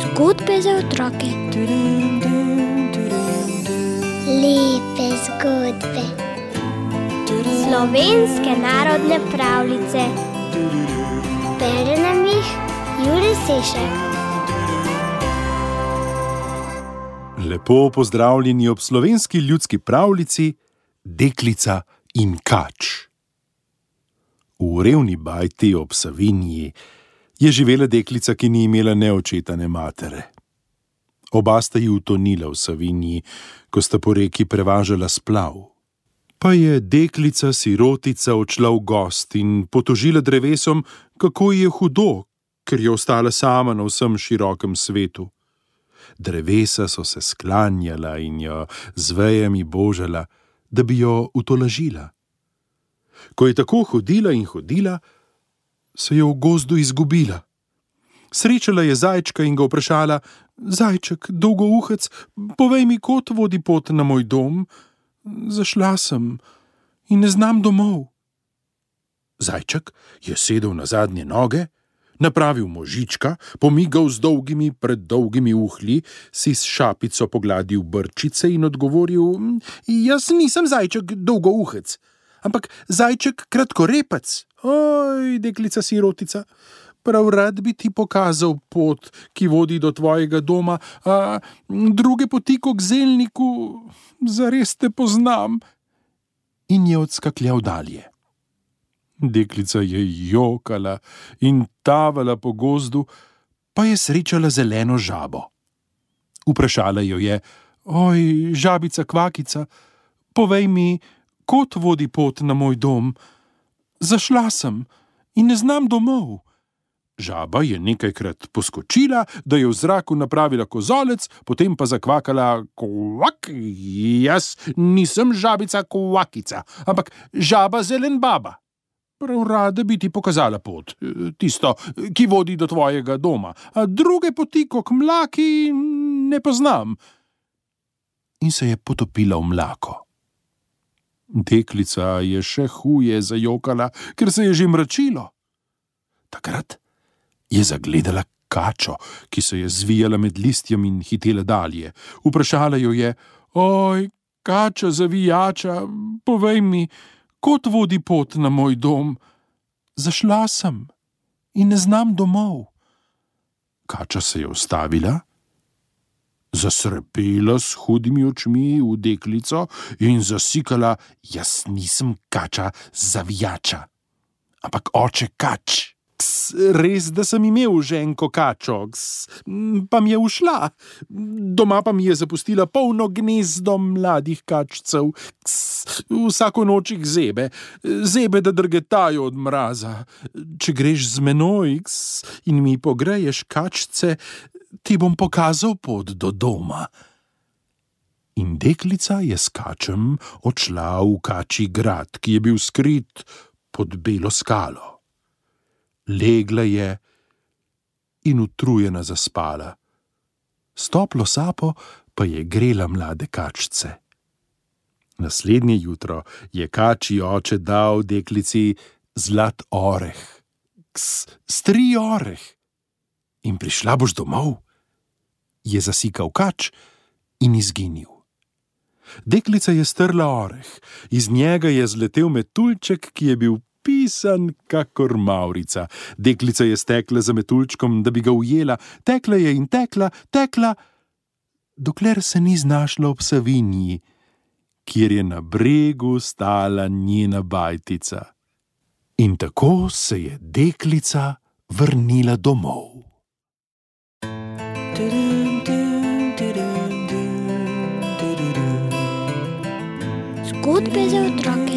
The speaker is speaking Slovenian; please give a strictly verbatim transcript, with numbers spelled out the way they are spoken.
Zgodbe za otroke. Lepe zgodbe. Slovenske narodne pravljice. Bere nam jih Jure Sešek. Lepo pozdravljeni ob slovenski ljudski pravljici Deklica in kač. V revni bajti ob Savinji je živela deklica, ki ni imela ne očeta ne matere. Oba sta ji utonila v Savinji, ko sta po reki prevažala splav. Pa je deklica sirotica odšla v gost in potožila drevesom, kako ji je hudo, ker je ostala sama na vsem širokem svetu. Drevesa so se sklanjala in jo z vejami božala, da bi jo utolažila. Ko je tako hodila in hodila, se je v gozdu izgubila. Srečala je zajčka in ga vprašala: Zajček, dolgouhec, povej mi, kod vodi pot na moj dom? Zašla sem in ne znam domov. Zajček je sedel na zadnje noge, napravil možička, pomigal z dolgimi, preddolgimi uhlji, si s šapico pogladil brčice in odgovoril: Jaz nisem zajček dolgouhec, ampak zajček kratkorepec. Oj, deklica sirotica, prav rad bi ti pokazal pot, ki vodi do tvojega doma, a druge poti k zelniku, zares te poznam. In je odskakljal dalje. Deklica je jokala in tavala po gozdu, pa je srečala zeleno žabo. Vprašala jo je: Oj, žabica kvakica, povej mi, kod vodi pot na moj dom? Zašla sem in ne znam domov. Žaba je nekajkrat poskočila, da je v zraku napravila kozolec, potem pa zakvakala: Kvak, jaz nisem žabica kvakica, ampak žaba zelen baba. Prav rada bi ti pokazala pot, tisto, ki vodi do tvojega doma, a druge poti kot mlaki ne poznam. In se je potopila v mlako. Deklica je še huje zajokala, ker se je že mračilo. Takrat je zagledala kačo, ki se je zvijala med listjem in hitela dalje. Vprašala jo je: Oj, kača zavijača, povej mi, kod vodi pot na moj dom? Zašla sem in ne znam domov. Kača se je ustavila, zasrepela s hudimi očmi v deklico in zasikala: Jaz nisem kača zavijača, ampak oče kač. Ks, res, da sem imel ženko kačo, ks, pa mi je ušla. Doma pa mi je zapustila polno gnezdo mladih kačcev. Ks, vsako noč jih zebe, zebe, da drgetajo od mraza. Če greš z menoj, ks, in mi pogreješ kačce, ti bom pokazal pot do doma. In deklica je s kačem odšla v kačji grad, ki je bil skrit pod belo skalo. Legla je in utrujena zaspala. S toplo sapo pa je grela mlade kačce. Naslednje jutro je kačji oče dal deklici zlat oreh. Ks, stri oreh. In prišla boš domov? Je zasikal kač in izginil. Deklica je strla oreh, iz njega je zletel metuljček, ki je bil pisan kakor mavrica. Deklica je stekla za metuljčkom, da bi ga ujela, tekla je in tekla, tekla, dokler se ni znašla ob Savinji, kjer je na bregu stala njena bajtica. In tako se je deklica vrnila domov. Zgodbe za otroke.